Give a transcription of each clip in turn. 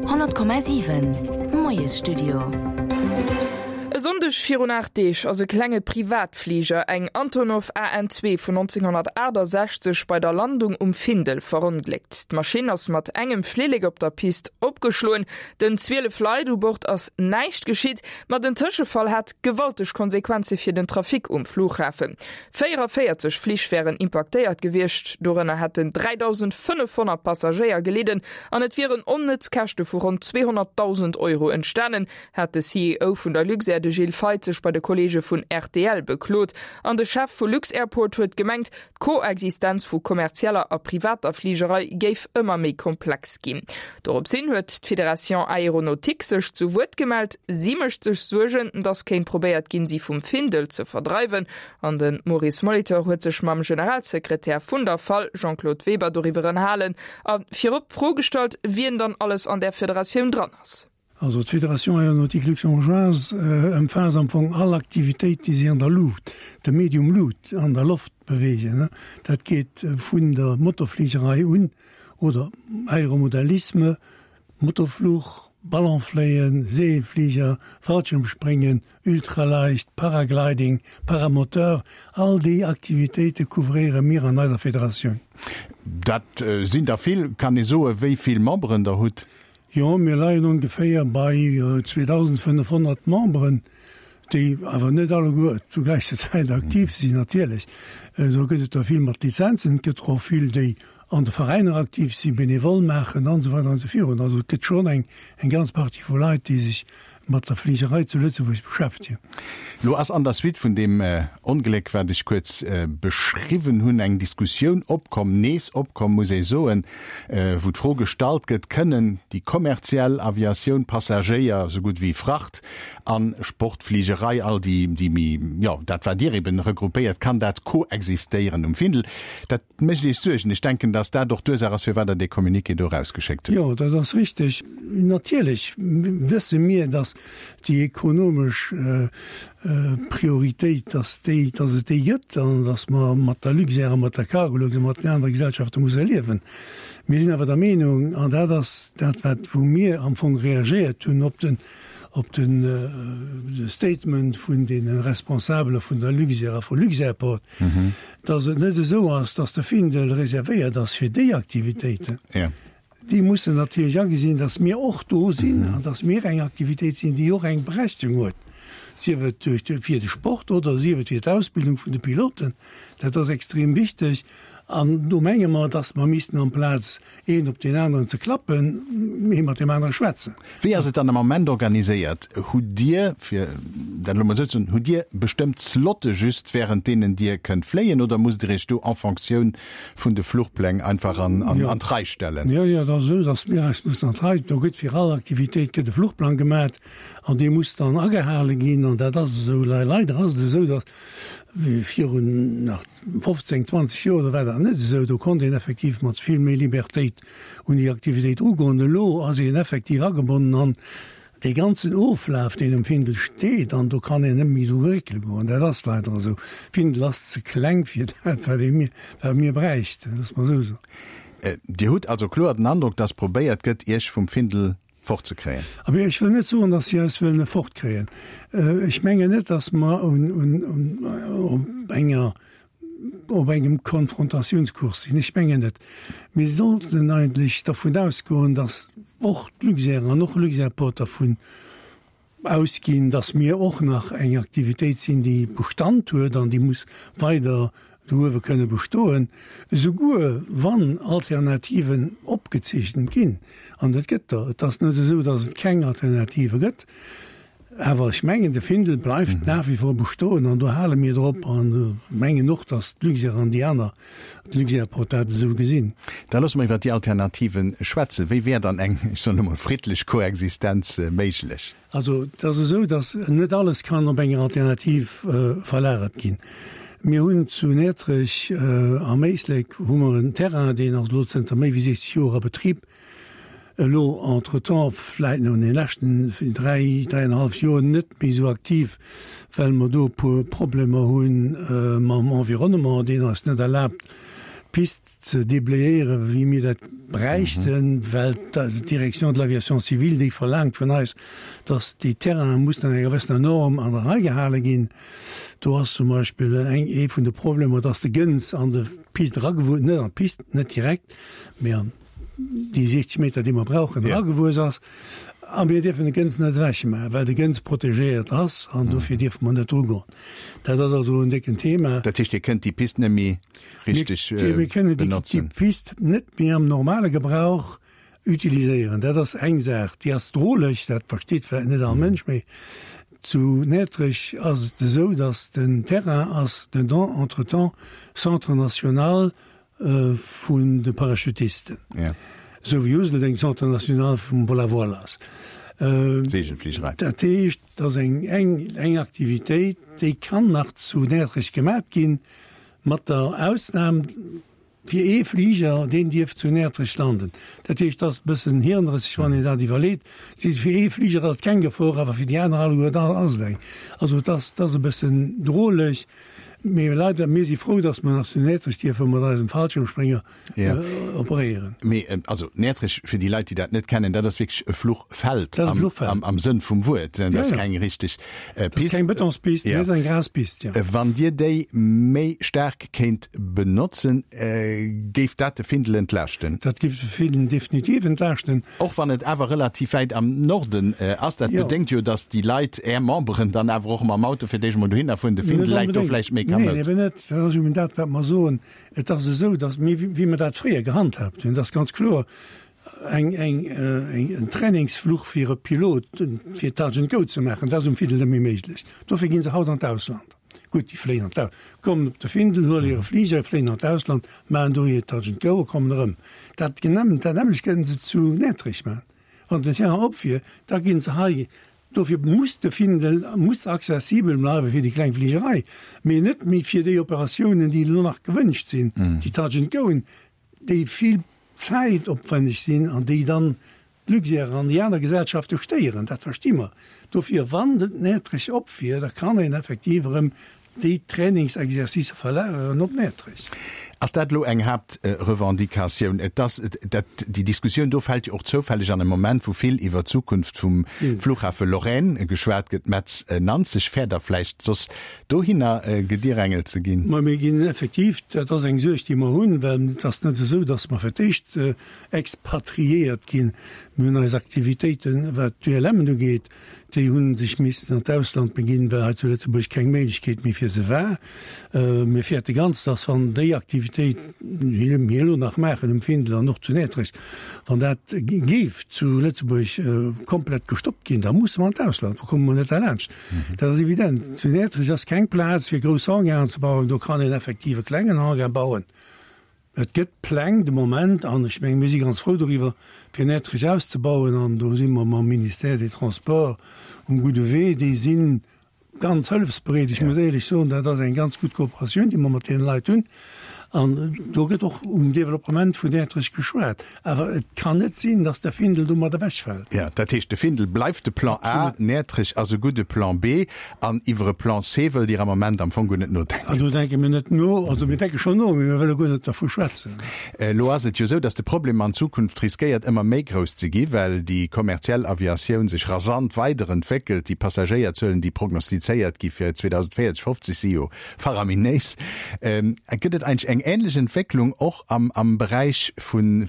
100,7 Moiesstudio. E Sonndeg virun 8 Deeg ass e klenge Privatfliger, eng Antonov AN-2 vun 1968, bei der Landung um Findel verongléckt. D'Maschinn ass mat engem Flillek op der Pist opgeschloen. Den 12 Leit u Bord ass näischt geschitt, ma den Tëschefall hat gewalteg Konsequenze fir den Trafic um Flughafen. 44 Flich wären impaktéiert gewiescht, dorënner hätten 3.500 Passagéier gelidden an et wieren onnëtz Käschte vu ronn 200.000 Euro entstanen, hat de CEO vun der Luxair, de Gilles Feith, sech bei de Kolleege vun rtl beklot. An de Chef vu Lux-Airport huet gemengt, D'Koexistenz vu kommerzieller a privater Fligerei géif ëmmer méi komplex ginn. Dorops hin huet d'Fédération Aéronautique sech zu Wuert gemellt. Si mécht sech Suergen, datt kéint probéiert ginn, si vum Findel ze verdreiwen. An de Maurice Molitor huet sech mam Generalsekretär vun der fal, Jean-Claude Weber, doriwwer ënnerhalen a virop d'Fro gestallt, wien dann alles an där Federatioun dran ass. Also d'Fédération Aéronautique Luxembourgeoise ëmfaasst am Fong all Aktivitéit, déi sech an der Luucht, dem Medium Luut, an der Loft beweegen. Dat geet vun der Motorfligerei un oder Aéromodellisme, Motorfluch, Ballonfléien, Seeënfliger, Fallschirmspringen, Ultraleicht, Paragliding, Paramoteur, all déi Aktivitéite couvréiere mir an eiser Federatioun. Dat sinn der vill. Kann ee soen, wéi vill Memberen der hutt? Jo, mir leien ongeféier bei 2.500 Memberen, déi awer net alleguer zur gläicher Zäit aktiv sinn natierlech. Do gëtt et der vill mat Lizenzen, et gëtt der och vill, déi an de Veräiner aktiv sinn, benevole maachen an esou weider an esou virun. Also et gëtt schonn eng ganz Partie vu Leit, déi sech mat der Fligerei zu Lëtzebuerg beschäftegen. Lo ass an der Suite vun deem Ongléck, wat ech kuerz beschriwwen hunn, eng Diskussioun opkomm, nees opkomm, muss ee soen, wou d'Fro gestallt gëtt, Kënnen déi kommerziell Aviatioun, Passagéier esou gutt wéi Fracht a Sportfligerei, all déi, déi méi, jo, dat wat Dir eben regroupéiert, kann dat koexistéieren um Findel? Dat mécht Iech Suergen. Ech denken, datt dat och d'Ursaach ass, firwat Der dee Communiqué do erausgeschéckt hutt. Jo, dat ass richteg. Natierlech wësse mir, datt déi ekonomesch Prioritéit, datt déi, datt et déi gëtt an datt mer mat der Luxair a mat der Cargolux a mat den anere Gesellschafte musse liewen. Mir sinn awer der Meenung, an dat ass dat, wat, wou mir am Fong reagéiert hunn op den, op de Statement vun deene Responsabele vun der Luxair a vu Luxairport, dass et net esou ass, dass de Findel reservéiert ass fir déi Aktivitéiten. Déi mussen natierlech agesinn, dass mir och do sinn an dass mir eng Aktivitéit sinn, déi och eng Berechtigung huet, sief et duerch fir de Sport oder sief et fir d'Ausbildung vun de Piloten. Dat ass extrem wichteg. An do menge mer, dass mer missten amplaz een op deen aneren ze klappen, ee mat deem anere schwätzen. Wéi ass et dann am Ament organiséiert? Hutt Dir, fir dat elo mol esou ze soen, hutt Dir bestëmmt Slotte just, während deenen Dir kënnt fléien, oder musst Dir Iech do en Fonctioun vun de Fluchpläng einfach an d'Rei stellen? Jo, jo, et ass esou, dass mir eis mussen an d'Rei, do gëtt fir all Aktivitéit gëtt e Fluchplang gemat an dee muss dann agehale ginn an dat ass esou. Leider ass et esou, dass Virun nach 15, 20 Joer, do war dat net esou. Do konnt een effektiv mat vill méi Libertéit un déi Aktivitéit erugoen. Elo ass een effektiv agebonnen an dee ganzen Oflaf, deen um Findel steet, an do kann een net méi dru réckele goen. Dat ass leider esou. Findel ass ze kleng fir dat, wat ee mir, wat mir bräichten, loosse mer esou soen. Dir hutt also kloer den Androck, dass probéiert gëtt, Iech vum Findel fortzekréien? Abee, ech wëll net soen, datt si eis wëllen fortkréien. Ech mengen net, datt mer op enger, op engem Konfrontatiounskurs sinn. Ech mengen net. Mir sollten eigentlech dervun ausgoen, datt och d'Luxair an och Luxairport dervun ausginn, dass mir och nach eng Aktivitéit sinn, déi Bestand huet an déi muss weider do uewe kënne bestoen, esouguer wann Alternativen opgezeechent ginn. An et gëtt der. Et ass net esou, dass et keng Alternative gëtt. Awer ech mengen, de Findel bleift nach wie vor bestoen an do hale mir drop an mengen och, dass d'Luxair an déi aner D'Luxairport dat esou gesinn. Da loosse mer iwwert déi Alternativen schwätzen. Wéi wär dann eng, ech soen emol, friddlech Koexistenz méiglech? Also, et ass esou, datt net alles kann op enger Alternativ verlagert ginn. Mir hunn zu Näertrech am Éislek hu mer en Terrain, deen ass elo zënter méi wéi 60 Joer a Betrib. Elo entretemps, vläit no den leschten dräi, dräienhallef Joer net méi esou aktiv, well mer do e puer Problemer hu mam Environnement, deen eis net erlaabt. d'Pist ze déblayéieren, wéi mir dat bräichten, well d'Direction de l'aviation civile, déi verlaangt vun eis, dass déi Terrainen mussen an enger gewëssener Norm an der Rei gehale ginn. Do ass zum Beispill eng, ee vun de Problemer, dass de Gënz an de Pist eragewuess, net an d'Pist, net direkt, mee an déi 60 Meter, déi mer brauchen, eragewuess ass. A mir dierfen de Gënz net ewechmaachen, well de Gënz protegéiert ass an dofir dierfe mer net drugoen. Dat ass also en décken Thema. Dat heescht, Dir kënnt déi Pist net méi richteg benotzen? Mir kënnen déi Pist net méi am normale Gebrauch utiliséieren. Dat ass eng Saach, déi ass droleg, dat versteet vläicht net all Mënsch, mee zu Näertrech ass et esou, datt den Terrain ass den entretemps Centre national vun de Parachutisten, esou wéi Useldeng Centre national vum Vol à voile ass. Segelfligerei. Dat heescht, dat ass eng, eng, eng Aktivitéit, déi kann nach zu Näertrech gemat ginn, mat der Ausnam fir ee Fliger, deen dierf zu Näertrech landen. Dat heescht, dat ass e bëssen hirnrësseg, wann een dat iwwerleet. Fir ee Fliger ass et keng Gefor, awer fir déi aner alleguer ass et eng. Also et ass, et ass e bëssen droleg. Mee leider, mir si frou, dass mer nach zu Näertrech dierfe mat eisem Fallschirmsprénger operéieren. Mee also Näertrech, fir déi Leit, déi dat net kennen, dat ass wierklech e Fluchfeld am Sënn vum Wuert. Dat ass keng richteg Pist. Dat ass keng Bëtonspist, dat ass eng Graspist, jo. Wann Dir déi méi staark kéint benotzen, géif dat de Findel entlaaschten? Dat géif de Findel definitiv entlaaschten. Och wann et awer relativ wäit am Norden ass. Dat bedéngt jo, datt déi Leit, Är Memberen, dann awer och mam Auto fir d'éischt emol dohinner fueren. De Findel läit do vläicht méi kamoud. Neen, eben net. Dat ass eben dat, wat mer soen. Et ass esou, datt mir, wéi mer dat fréier gehandhaabt hunn, et ass ganz kloer, eng, eng, en Trainingsfluch fir e Pilot, fir Touch and Go ze maachen, dat ass um Findel net méi méiglech. Dofir gi se haut an d'Ausland. Gutt, déi fléien an d'Ausland, kommen op de Findel, huele hire Fliger, fléien an d'Ausland, maachen do hir Touch and Go a kommen erëm. Dat dat nämmlecht kënnen se zu Näertrech maachen. Wann den Terrain op wier, da ginn se hei. Dofir muss de Findel muss accessibel bleiwe fir déi kleng Fligerei, mee net méi fir déi Operatiounen, déi elo nach gewënscht sinn, déi Touch and Goen, déi vill zäitopwänneg sinn an déi dann D'Luxair an déi aner Gesellschafte stéieren, dat versti mer. Dofir, wann den Näertrech op wier, da kann een effektiv erëm déi Trainingsexercicë verlageren op Näertrech. Ass dat elo eng Haaptrevendicatioun? Et ass dat, déi Diskussioun do fält jo och zoufälleg an e Moment, wou vill iwwer d'Zukunft vum Flughafe Lorraine geschwat gëtt. Metz Nanzeg, fäert Der vläicht soss dohinner gedirängelt ze ginn? Mä mir ginn effektiv, dat ass eng Suerg, déi mer hunn, well et ass net esou, datt mer fir d'éischt Expatriéiert ginn. Mir hunn eis Aktivitéiten, wat d'ULMen ugeet, déi hu sech missen an d'Ausland beginn, well hei zu Lëtzebuerg keng Méiglechkeet méi fir se war. Mir fäerte ganz, dass wann déi Aktivitéit, déi mir elo nach maachen um Findel an och zu Näertrech, wann dat géif zu Lëtzebuerg komplett gestoppt ginn, da musse mer an d'Ausland, do komme mer net derlaanscht. Dat ass evident. Zu Näertrech ass keng Plaz fir grouss Hangaren ze bauen. Do kann een effektiv e klengen Hangar bauen. Et gëtt Pläng de Moment, an ech mengen, mir si ganz frou doriwwer, fir Näertrech auszebauen, an do si mer mam Ministère des Transports um gudde Wee. Déi si ganz hëllefsbereet. Ech muss éierlech soen, dat ass eng ganz gutt Kooperatioun, déi mer mat deene Leit hunn. An do gëtt och um Developpement vun Näertrech geschwat. Awer et kann net sinn, datt de Findel domat ewechfält. Jo, dat heescht, de Findel bleift de Plan A, Näertrech ass e gudde Plan B. An iwwer e Plan C wëllt Dir am Ament am Fong guer net nodenken? Do denke mir net no. Also mir denke schonn no, mee mir wëlle guer net dervu schwätzen. Elo ass et jo esou, datt de Problem an Zukunft riskéiert ëmmer méi grouss ze gi, well déi kommerziell Aviatioun sech rasant weiderentwéckelt. Déi Passagéierzuelen, déi prognostizéiert gi fir 2040, 50 si jo faraminéis. Gëtt et eigentlech eng änlech Entwécklung och am Beräich vun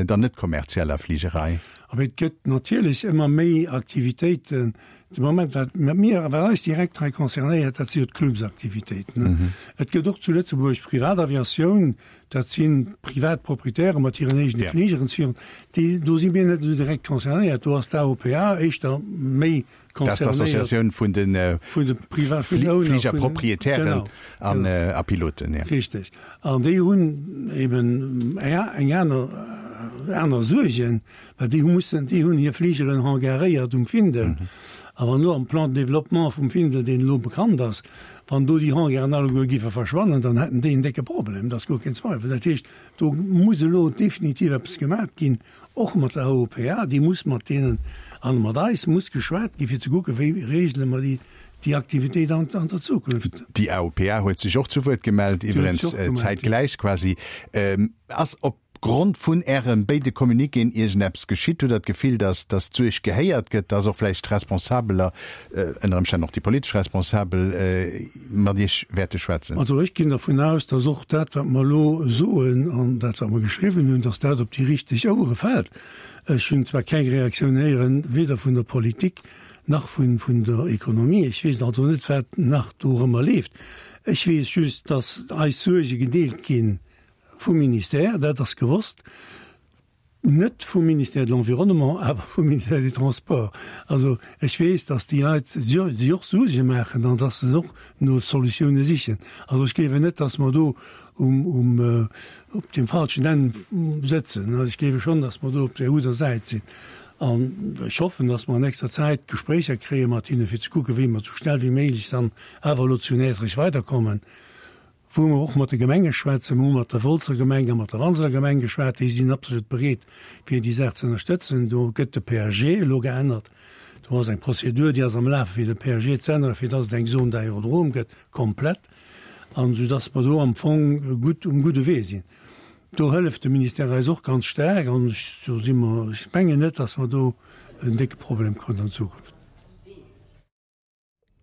der net kommerzieller Fligerei? Abee, et gëtt natierlech ëmmer méi Aktivitéiten, De Moment, wat mir, wat eis direkt hei concernéiert, dat si jo d'Clubsaktivitéiten. Et gëtt och zu Lëtzebuerg Privataviatioun, dat si privat Proprietäre mat hiren eegene Fligeren. Déi, do si mir net esou direkt concernéiert. Do ass d'AOPA éischter méi concernéiert. Dat ass d'Associatioun vun de Fligerproprietären a Piloten. Richteg. An déi hunn eben eng aner, aner Suergen. Well déi hu mussen, déi hunn hir Fligeren hangaréiert um Findel. A wann elo am Plan de développement vum Findel, deen elo bekannt ass, wann do déi Hangaren alleguer géife verschwannen, dann hätten déi en décke Problem, dat ass guer keen Zweifel. Dat heescht, do muss elo definitiv eppes gemaat ginn, och mat der AOPA, déi muss mat deenen an mat eis muss geschwat ginn, fir ze kucken, wéi regele mer déi. Déi Aktivitéit an der Zukunft. Déi AOPA huet sech och zu Wuert gemellt, iwwerens zäitgläich quasi. Ass op Grond vun Äre béide Communiquéen iergendeppes geschitt? Hutt Der d'Gefill, datt datt d'Suerg gehéiert gëtt, datt och vläicht Responsabeler, ënner Ëmstänn och déi politesch Responsabel, mat Iech wäerte schwätzen? Also ech ginn dervun aus, datt och dat, wat mer elo soen an dat, wat mer geschriwwen hunn, datt dat op déi richteg Ouere fält. Ech hunn zwar keng Reaktioun héieren, weder vun der Politik nach vun vun der Economie. Ech weess also net, wat nach dorëmmer leeft. Ech weess just, dass eis Suerge gedeelt gi vum Ministère, dat ass gewosst, net vum Ministère de l'Environnement, awer vum Ministère des Transports. Also ech weess, dass déi Leit sech och Suerge maachen an dass se och no Solutioune sichen. Also ech gleewen net, dass mer do um um op deem falschen Enn sëtzen. Ech gleewe schonn, dass mer do op der gudder Säit sinn. An ech hoffen, dass mer an nächster Zäit Gespréicher kréie mat hinne fir ze kucken, wéi mer esou schnell wéi méiglech dann awer elo zu Näertrech weiderkommen, wou mer och mat de Gemenge schwätzen. Mer hu mat der Wolzer Gemeng a mat der Wanseler Gemeng geschwat. Déi sinn absolut bereet, fir déi Saach ze ënnerstëtzen. Do gëtt de PAG elo geännert. Do ass eng Prozedur, déi ass am Lafe fir de PAG ze änneren, fir dass et eng Zone d'aérodrome gëtt, komplett, an esou dass mer do am Fong gutt um gudde Wee sinn. Do hëlleft de Ministère eis och ganz staark an do si mer, ech mengen net, dass mer do en décke Problem kréien an Zukunft.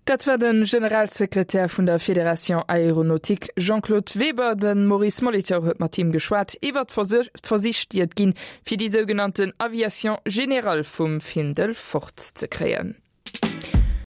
Dat war de Generalsekretär vun der Fédération Aéronautique Jean-Claude Weber. De Maurice Molitor huet mat him geschwat iwwer d'Versich, déi et ginn, fir déi sougenannten Aviation générale vum Findel fortzekréien.